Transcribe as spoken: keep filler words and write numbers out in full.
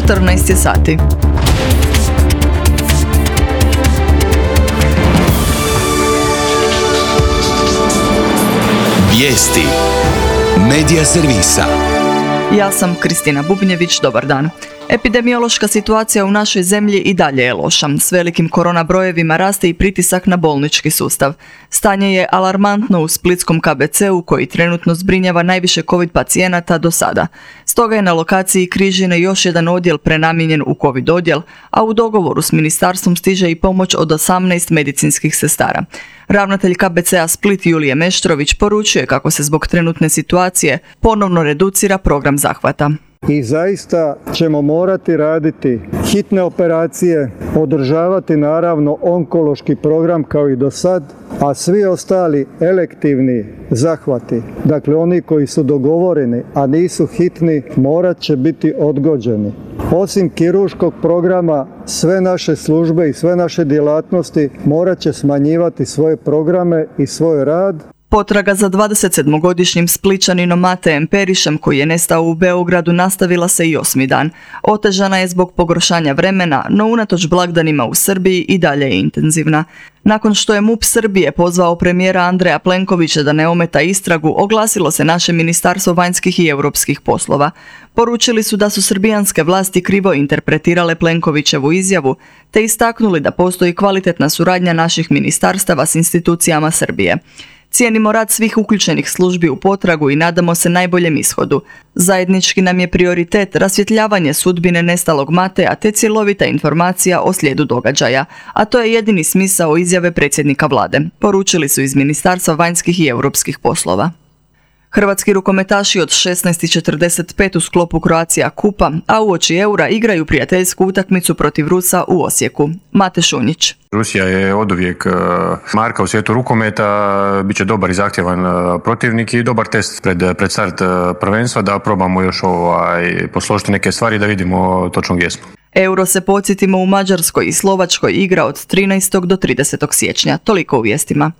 četrnaest je sati. Vijesti Medija servisa. Ja sam Kristina Bubnjević, dobar dan. Epidemiološka situacija u našoj zemlji i dalje je loša. S velikim korona brojevima raste i pritisak na bolnički sustav. Stanje je alarmantno u splitskom K B C-u koji trenutno zbrinjava najviše COVID pacijenata do sada. Stoga je na lokaciji Križine još jedan odjel prenamijenjen u COVID odjel, a u dogovoru s ministarstvom stiže i pomoć od osamnaest medicinskih sestara. Ravnatelj K B C-a Split Julije Meštrović poručuje kako se zbog trenutne situacije ponovno reducira program zahvata. I zaista ćemo morati raditi hitne operacije, održavati naravno onkološki program kao i do sad, a svi ostali elektivni zahvati, dakle oni koji su dogovoreni, a nisu hitni, morat će biti odgođeni. Osim kirurškog programa, sve naše službe i sve naše djelatnosti morat će smanjivati svoje programe i svoj rad. Potraga za dvadesetsedmogodišnjim Splićaninom Matejem Perišem koji je nestao u Beogradu nastavila se i osmi dan. Otežana je zbog pogoršanja vremena, no unatoč blagdanima u Srbiji i dalje je intenzivna. Nakon što je M U P Srbije pozvao premijera Andreja Plenkovića da ne ometa istragu, oglasilo se naše Ministarstvo vanjskih i europskih poslova. Poručili su da su srbijanske vlasti krivo interpretirale Plenkovićevu izjavu, te istaknuli da postoji kvalitetna suradnja naših ministarstava s institucijama Srbije. Cijenimo rad svih uključenih službi u potragu i nadamo se najboljem ishodu. Zajednički nam je prioritet rasvjetljavanje sudbine nestalog Mateja te cjelovita informacija o slijedu događaja, a to je jedini smisao izjave predsjednika vlade, poručili su iz Ministarstva vanjskih i europskih poslova. Hrvatski rukometaši od šesnaest i četrdeset pet u sklopu Croatia Kupa, a uoči eura igraju prijateljsku utakmicu protiv Rusa u Osijeku. Mate Šunjić. Rusija je oduvijek marka u svijetu rukometa, bit će dobar i zahtjevan protivnik i dobar test pred, pred start prvenstva da probamo još ovaj, posložiti neke stvari da vidimo točno gdje smo. Euro se, podsjetimo, u Mađarskoj i Slovačkoj igra od trinaestog do tridesetog siječnja. Toliko u vijestima.